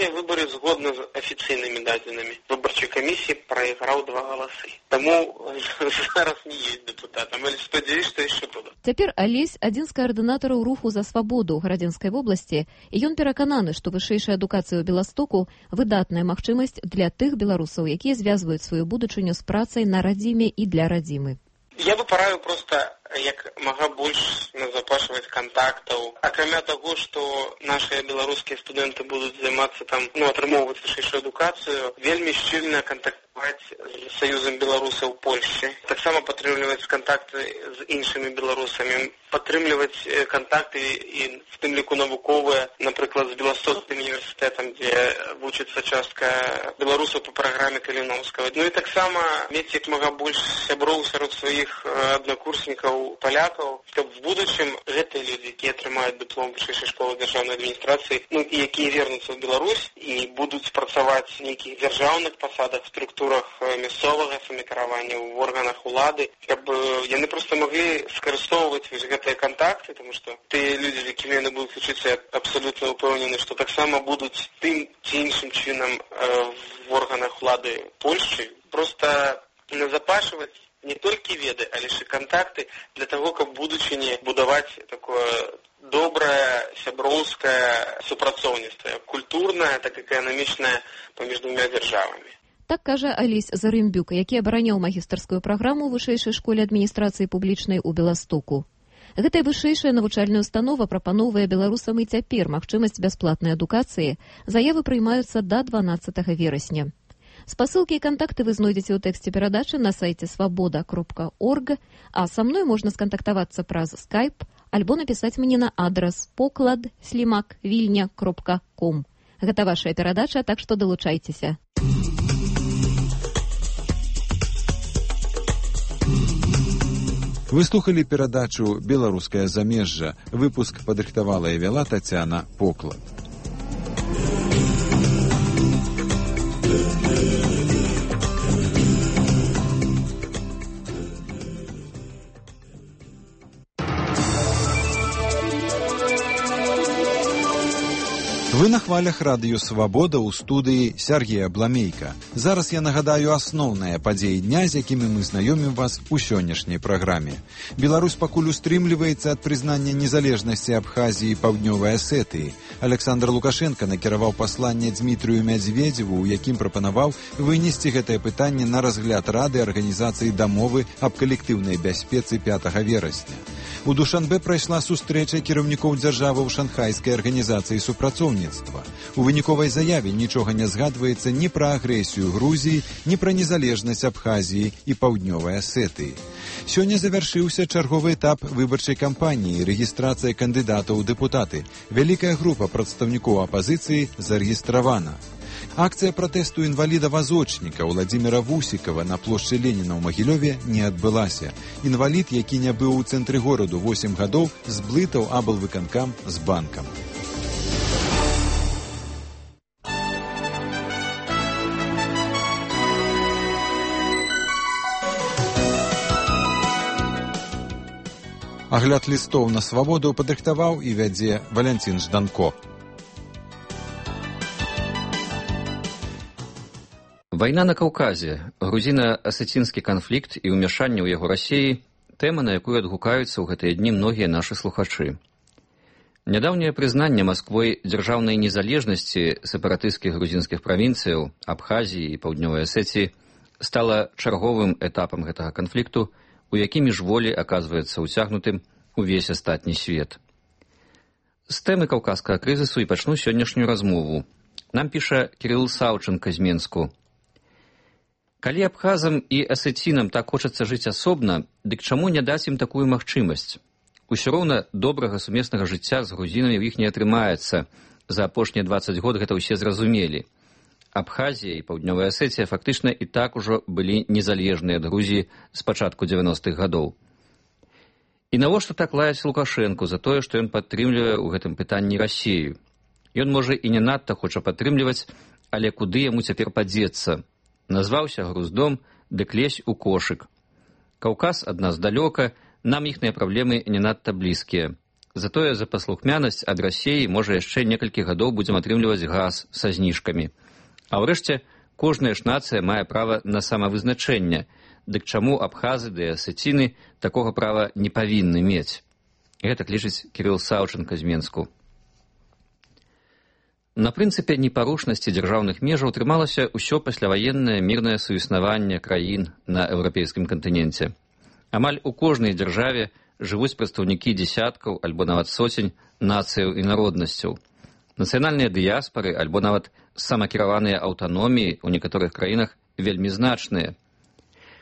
Гэтыя выбары згодна з афіцыйнымі дадзенымі выбарчай камісіі прайграў 2 галасы. Таму зараз не ёсць дэпутатам, але спадзяюсь, што яшчэ будуць. Цяпер Алесь адзін з каардынатараў руху за свабоду ў Гарадзенскай вобласці, і ён перакананы, што вышэйшая адукацыя ў Беластоку выдатная магчымасць для тых беларусаў, якія звязваюць сваю будучыню з працай на радзіме і для радзімы. Я бы параю проста як мага больш назапашваць кантактаў. Акрамя таго, што нашыя беларускія студэнты будуць займацца там, атрымоўваць вышэйшую адукацыю, вельмі шчыльна кантактаваць з Саюзам беларусаў Польшчы. Таксама падтрымліваць кантакты з іншымі беларусамі, падтрымліваць кантакты і в тым ліку навуковыя, напрыклад, з Беластокскім універсітэтам, дзе вучыцца частка беларусаў па праграме Каліноўскага. І таксама мець як мага больш сяброў сярод сваіх аднакурснікаў палякаў, каб в будучым гэтыя людзі, якія атрымаюць дыплом вышэйшай школы дзяржаўнай адміністрацыі, і якія вернуцца ў Беларусь і будуць працаваць в нейкіх дзяржаўных пасадах, структурах мясцовага самакіравання, в органах улады, каб яны проста маглі скарыстоўваць гэтыя кантакты, тому што тыя людзі, з якімі яны будуць вучыцца, абсалютна ўпэўнены, што таксама будуць тым ці іншым чынам в органах улады Польшчы проста назапашваць не толькі веды, але ж і кантакты для таго, каб будучыні будаваць такое добрае сяброўскае супрацоўніцтва, культурнае, так эканамічнае паміж двумя дзяржавамі. Так кажа Алесь Зарымбюк, які абараняў магістарскую праграму ў вышэйшай школе адміністрацыі публічнай у Беластоку. Гэтая вышэйшая навучальная установа прапаноўвае беларусам і цяпер магчымасць бясплатнай адукацыі. Заявы прыймаюцца да 12 верасня. Спасылкі і кантакты вы знойдзеце ў тэксце перадачы на сайце свабода.орг, а са мной можна скантактавацца праз Skype альбо напісаць мне на адрас poklad@vilnya.com. Гэта вашая перадача, так што далучайцеся. Вы слухалі перадачу «Беларускае замежжа». Выпуск падрыхтавала і вяла Тацяна Поклад. Вы на хвалях радыё «Свабода» ў студыі Сергея Бламейка. Зараз я нагадаю асноўныя падзеі дня, з якімі мы знаёмім вас у сённяшняй праграме. Беларусь пакуль устрымліваецца ад прызнання незалежнасці Абхазіі і Паўднёвай Асетыі. Александр Лукашенко накіраваў пасланне Дмітрыю Мядзведзеву, у якім прапанаваў вынесці гэтае пытанне на разгляд Рады Арганізацыі дамовы аб калектыўнай бяспецы 5 верасня. У Душанбе прайшла сустрэча кіраўнікоў дзяржаваў Шанхайскай арганізацыі супрацоўніцтва. У выніковай заяве нічога не згадваецца ні пра агрэсію Грузіі, ні пра незалежнасць Абхазіі і Паўднёвай Асетыі. Сёння завяршыўся чарговы этап выбарчай кампаніі, рэгістрацыя кандыдатаў у дэпутаты. Вялікая група прадстаўнікоў апазіцыі зарэгістравана. Акцыя пратэсту інваліда-вазочніка Владзіміра Вусікава на плошчы Леніна ў Магілёве не адбылася. Інвалід, які не быў у цэнтры гораду 8 гадоў, зблытаў аблвыканкам з банкам. Агляд лістоў на свабоду падрыхтаваў і вядзе Валянцін Жданко. Вайна на Каўказе, грузіна-асецінскі канфлікт і ўмяшанне ў яго Расіі – тэма, на якую адгукаюцца ў гэтыя дні многія нашы слухачы. Нядаўняе прызнанне Масквой дзяржаўнай незалежнасці сепаратысцкіх грузінскіх правінцыяў, Абхазіі і Паўднёвай Асетіі стала чарговым этапам гэтага канфлікту, у які міжволі аказваецца ўцягнутым увесь астатні свет. З тэмы каўказскага крызісу і пачну сённяшнюю размову. Нам піша Кірыл Саўчынка з Менску. Калі абхазам і асецінам так хочацца жыць асобна, дык чаму не даць ім такую магчымасць? Усё роўна добрага сумеснага жыцця з грузінамі ў іх не атрымаецца. За апошнія 20 год гэта ўсе зразумелі. Абхазія і Паўднёвая Асетія фактычна і так ужо былі незалежныя ад Грузіі з пачатку 90-х гадоў. І навошта так лаяць Лукашэнку за тое, што ён падтрымлівае ў гэтым пытанні Расію? Ён, можа, і не надта хоча падтрымліваць, але куды яму цяпер падзецца? Назваўся груздом, дык лезь у кошык. Каўказ ад нас далёка, нам іхныя праблемы не надта блізкія. Затое за паслухмянасць ад Расіі, можа, яшчэ некалькі гадоў будзем атрымліваць газ са зніжкамі. А ўрэшце, кожная ж нацыя мае права на самавызначэнне, дык чаму абхазы ды асеціны такога права не павінны мець? Гэта лічыць Кірыл Саўчанка з Менску. На прынцыпе непарушнасці дзяржаўных межаў трымалася ўсё пасляваеннае мірнае суіснаванне краін на еўрапейскім кантыненце. Амаль у кожнай дзяржаве жывуць прадстаўнікі дзесяткаў альбо нават соцень нацыяў і народнасцяў. Нацыянальныя дыяспары альбо нават самакіраваныя аўтаноміі ў некаторых краінах вельмі значныя.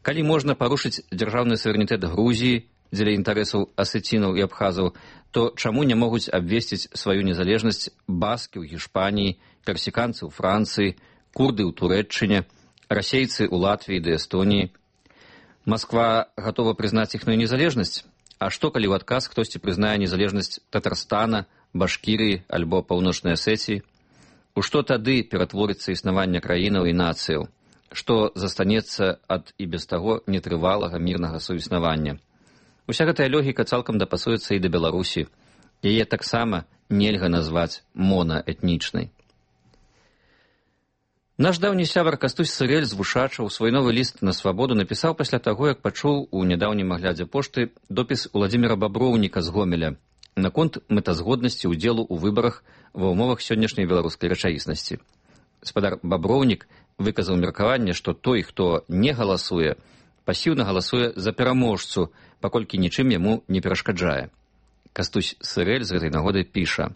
Калі можна парушыць дзяржаўны суверэнітэт Грузіі дзеля інтарэсаў асецінаў і абхазаў, то чаму не могуць абвесціць сваю незалежнасць баскі ў Гішпаніі, персіканцы ў Францыі, курды ў Турэччыне, расейцы ў Латвіі ды Эстоніі? Масква гатова прызнаць іхную незалежнасць? А што, калі ў адказ хтосьці прызнае незалежнасць Татарстана, Башкірыі альбо Паўночнай Асеціі? У што тады ператворыцца існаванне краінаў і нацыяў? Што застанецца ад і без таго нетрывалага мірнага суіснавання? Уся гэтая логіка цалкам дапасуецца і да Беларусі. Яе таксама нельга назваць монаэтнічнай. Наш даўні сябар Кастусь Сырэль з Вушачаў свой новы ліст на свабоду напісаў пасля таго, як пачуў у нядаўнім аглядзе пошты допіс Уладзіміра Баброўніка з Гомеля наконт мэтазгоднасці ўдзелу ў выбарах ва ўмовах сённяшняй беларускай рэчаіснасці. Спадар Баброўнік выказаў меркаванне, што той, хто не галасуе, пасіўна галасуе за пераможцу, паколькі нічым яму не перашкаджае. Кастусь Сырэль з гэтай нагоды піша: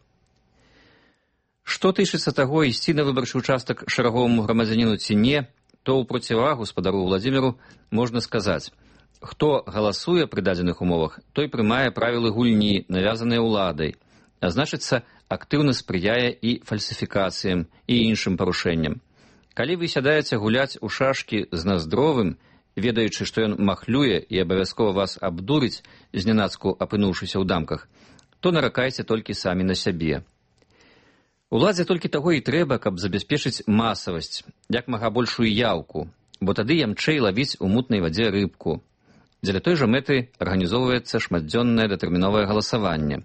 «Што тычыцца таго, ісці на выбарчы ўчастак шараговаму грамадзяніну ці не, то ў процівагу спадару Владзіміру можна сказаць: хто галасуе пры дадзеных умовах, той прымае правілы гульні, навязаныя ўладай, а значыцца, актыўна спрыяе і фальсіфікацыям і іншым парушэнням. Калі вы сядаеце гуляць у шашкі з Наздровым, ведаючы, што ён махлюе і абавязкова вас абдурыць, знянацку апынуўшыся ў дамках, то наракайце толькі самі на сябе. Уладзе толькі таго і трэба, каб забяспечыць масавасць, як мага большую яўку, бо тады ямчэй лавіць у мутнай вадзе рыбку. Дзеля той жа мэты арганізоўваецца шматдзённае датэрміновае галасаванне.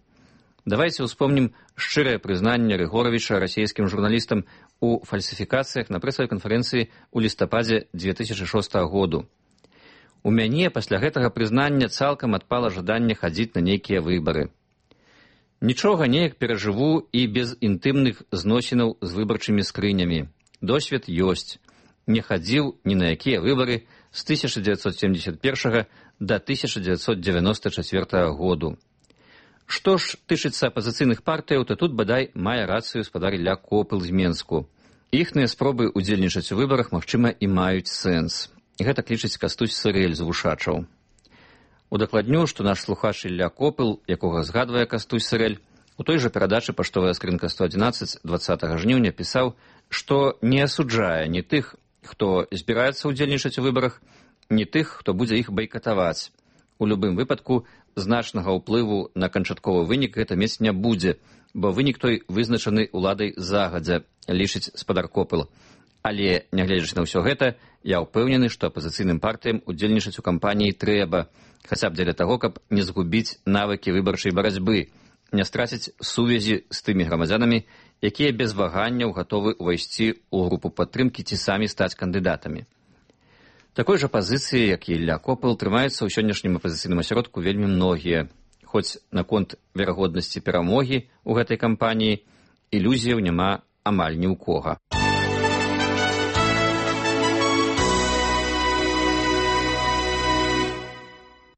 Давайце ўспомнім шчырае прызнанне Рыгоравіча расійскім журналістам у фальсіфікацыях на прэсавай канферэнцыі ў лістападзе 2006 году. У мяне пасля гэтага прызнання цалкам адпала жаданне хадзіць на нейкія выбары. Нічога неяк перажыву і без інтымных зносінаў з выбарчымі скрынямі. Досвед ёсць. Не хадзіў ні на якія выбары з 1971 да 1994 году. Што ж тычыцца апазіцыйных партыяў, то тут, бадай, мае рацыю спадар Ілля Копыл з Менску. Іхныя спробы ўдзельнічаць у выбарах, магчыма, і маюць сэнс. Гэта лічыць Кастусь Сырэль з Вушачаў. Удакладню, што наш слухач Ілля Копыл, якога згадвае Кастусь Сырэль, у той жа перадачы «Паштовая скрынка 111» 20 жніўня пісаў, што не асуджае ні тых, хто збіраецца ўдзельнічаць у выбарах, ні тых, хто будзе іх байкатаваць. У любым выпадку, значнага ўплыву на канчатковы вынік гэта мець не будзе, бо вынік той вызначаны ўладай загадзя, лічыць спадар Копыл. Але, нягледзячы на ўсё гэта, я ўпэўнены, што апазіцыйным партыям удзельнічаць у кампаніі трэба, хаця б дзеля таго, каб не згубіць навыкі выбарчай барацьбы, не страціць сувязі з тымі грамадзянамі, якія без ваганняў гатовы ўвайсці ў групу падтрымкі ці самі стаць кандыдатамі. Такой жа пазіцыі, як і Ілля Копыл, трымаюцца ў сённяшнім апазіцыйным асяродку вельмі многія. Хоць наконт верагоднасці перамогі ў гэтай кампаніі ілюзіяў няма амаль ні ў кога.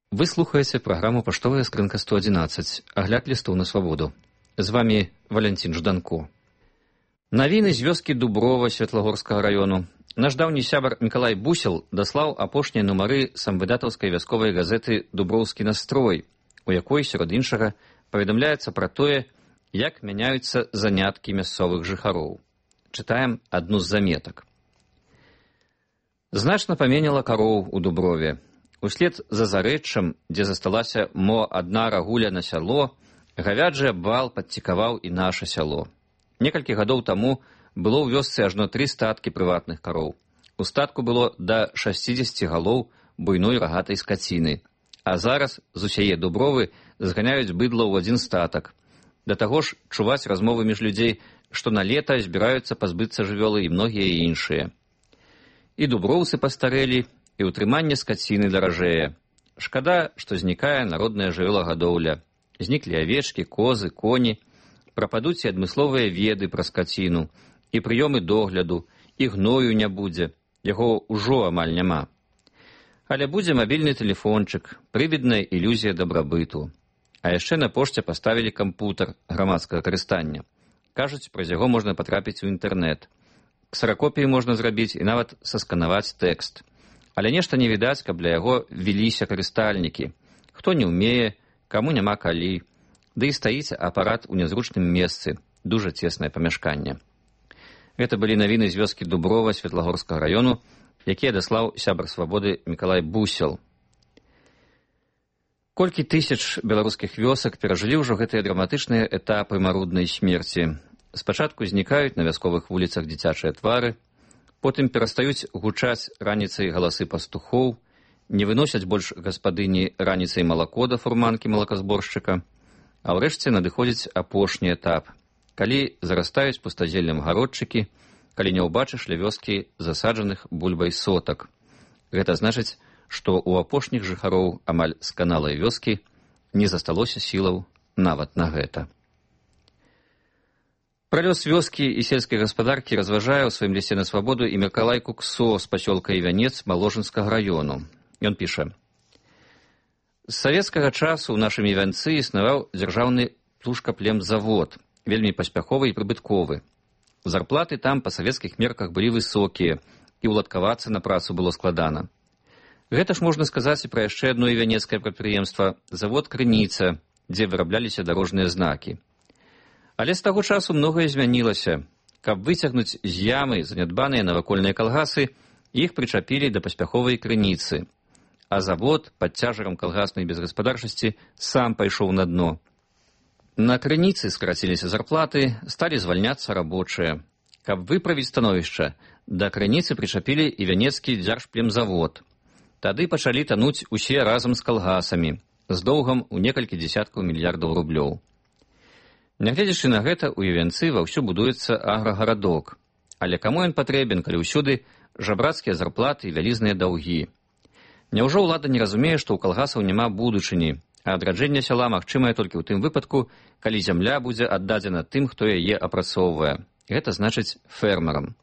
Вы слухаеце праграму «Паштовая скрынка 111», агляд лістоў на свабоду. З вамі Валянцін Жданко. Навіны з вёскі Дуброва Светлагорскага раёну. Наш даўні сябар Мікалай Бусел даслаў апошнія нумары самвыдатаўскай вясковай газеты «Дуброўскі настрой», у якой, сярод іншага, паведамляецца пра тое, як мяняюцца заняткі мясцовых жыхароў. Чытаем адну з заметак. Значна паменяла кароў у Дуброве. Услед за зарэччам, дзе засталася мо адна рагуля на сяло, гавяджы абвал падцікаваў і наша сяло. Некалькі гадоў таму было ў вёсцы ажно 3 статкі прыватных кароў. У статку было да 60 галоў буйной рагатай скаціны, А зараз з усяе Дубровы зганяюць быдла ў адзін статак. Да таго ж чуваць размовы між людзей, што на лета збіраюцца пазбыцца жывёлы і многія іншыя. І дуброўцы пастарэлі, і ўтрыманне скаціны даражэе. Шкада, што знікае народная жывёлагадоўля. Зніклі авечкі, козы, коні, прападуць і адмысловыя веды пра скаціну, і прыёмы догляду, і гною не будзе, яго ўжо амаль няма. Але будзе мабільны тэлефончык, прывідная ілюзія дабрабыту. А яшчэ на пошце паставілі кампутар грамадскага карыстання. Кажуць, праз яго можна патрапіць у інтэрнэт. Ксеракопіі можна зрабіць і нават сасканаваць тэкст. Але нешта не відаць, каб для яго веліся карыстальнікі. Хто не ўмее, каму няма калі. Ды і стаіць апарат у нязручным месцы, дужа цеснае памяшканне. Гэта былі навіны з вёскі Дуброва Светлагорскага раёну, якія даслаў сябар свабоды Мікалай Бусел. Колькі тысяч беларускіх вёсак перажылі ўжо гэтыя драматычныя этапы маруднай смерці. Спачатку знікаюць на вясковых вуліцах дзіцячыя твары, потым перастаюць гучаць раніцай галасы пастухоў, не выносяць больш гаспадыні раніцай малако да фурманкі малаказборшчыка, а ўрэшце надыходзіць апошні этап, калі зарастаюць пустазеллем гародчыкі, калі не ўбачыш ля вёскі засаджаных бульбай сотак. Гэта значыць, што ў апошніх жыхароў амаль сканалай вёскі не засталося сілаў нават на гэта. Пра лёс вёскі і сельскай гаспадаркі разважае ў сваім лісце на свабоду і Мікалай Куксо з пасёлка Івянец Маложынскага раёну. Ён піша: «З савецкага часу ў нашым Івянцы існаваў дзяржаўны птушкаплемзавод, вельмі паспяховы і прыбытковы. Зарплаты там па савецкіх мерках былі высокія, і ўладкавацца на працу было складана. Гэта ж можна сказаць і пра яшчэ адно івянецкае прадпрыемства – завод «Крыніца», дзе вырабляліся дарожныя знакі. Але з таго часу многае змянілася. Каб выцягнуць з ямы занядбаныя навакольныя калгасы, іх прычапілі да паспяховай «Крыніцы». А завод пад цяжарам калгаснай безгаспадарчасці сам пайшоў на дно. На «Крыніцы» скараціліся зарплаты, сталі звальняцца рабочыя. Каб выправіць становішча, да «Крыніцы» прычапілі івянецкі дзяржплемзавод. Тады пачалі тануць усе разам з калгасамі, з доўгам у некалькі дзесяткаў мільярдаў рублёў. Нягледзячы на гэта, у Івянцы ваўсю будуецца аграгарадок. Але каму ён патрэбен, калі ўсюды жабрацкія зарплаты і вялізныя даўгі? Няўжо ўлада не разумее, што ў калгасаў няма будучыні, а адраджэнне сяла магчымае толькі ў тым выпадку, калі зямля будзе аддадзена тым, хто яе апрацоўвае. Гэта значыць фермерам.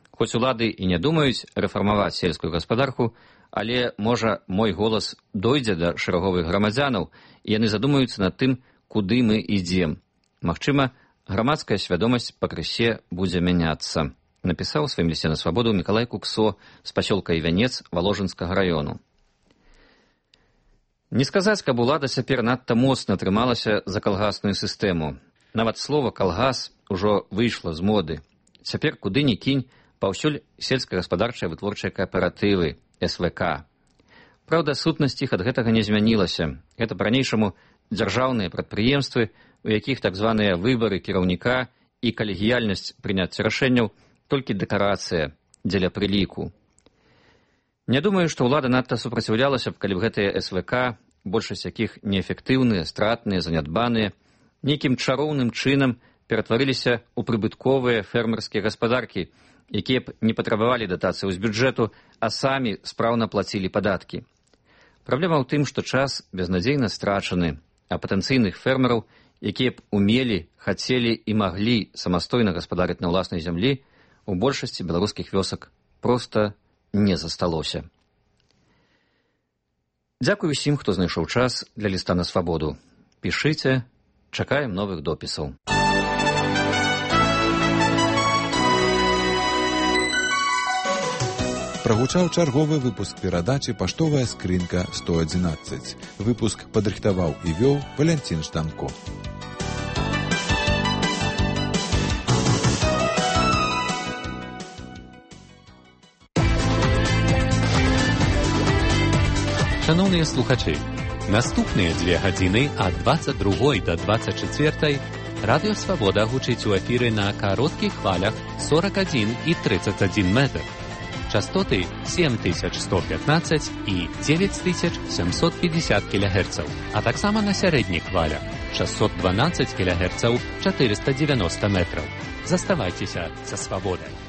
Хоць улады і не думаюць рэфармаваць сельскую гаспадарку, але, можа, мой голас дойдзе да шэраговых грамадзянаў, і яны задумаюцца над тым, куды мы ідзем. Магчыма, грамадская свядомасць пакрысе будзе мяняцца, напісаў у сваім лісце на свабоду Мікалай Куксо з пасёлка Івянец Воложынскага раёну. Не сказаць, каб улада цяпер надта моцна трымалася за калгасную сістэму. Нават слова «калгас» ужо выйшла з моды. Цяпер куды ні кінь, паўсюль сельскагаспадарчыя вытворчыя кааператывы, СВК. Праўда, сутнасць іх ад гэтага не змянілася. Гэта па-ранейшаму дзяржаўныя прадпрыемствы, у якіх так званыя выбары кіраўніка і калегіяльнасць прыняцця рашэнняў толькі дэкарацыя дзеля прыліку. Не думаю, што ўлада надта супраціўлялася б, калі б гэтыя СВК, большасць якіх неэфектыўныя, стратныя, занядбаныя, нейкім чароўным чынам ператварыліся ў прыбытковыя фермерскія гаспадаркі, якія б не патрабавалі датацыяў з бюджэту, а самі спраўна плацілі падаткі. Праблема ў тым, што час безнадзейна страчаны, а патэнцыйных фермераў, якія б умелі, хацелі і маглі самастойна гаспадарыць на ўласнай зямлі, у большасці беларускіх вёсак проста не засталося. Дзякуй усім, хто знайшоў час для ліста на свабоду. Пішыце, чакаем новых допісаў. Прагучаў чарговы выпуск перадачы «Паштовая скрынка 111». Выпуск падрыхтаваў і вёў Валянцін Штанко. Шановныя слухачы, наступныя 2 гадзіны ад 22 да 24 Радыё Свабода гучыць у эфіры на кароткіх хвалях 41 і 31 метр. частоты 7115 і 9750 кГц, а таксама на сярэдніх хвалях 612 кГц 490 метраў. Заставайцеся са свабодай.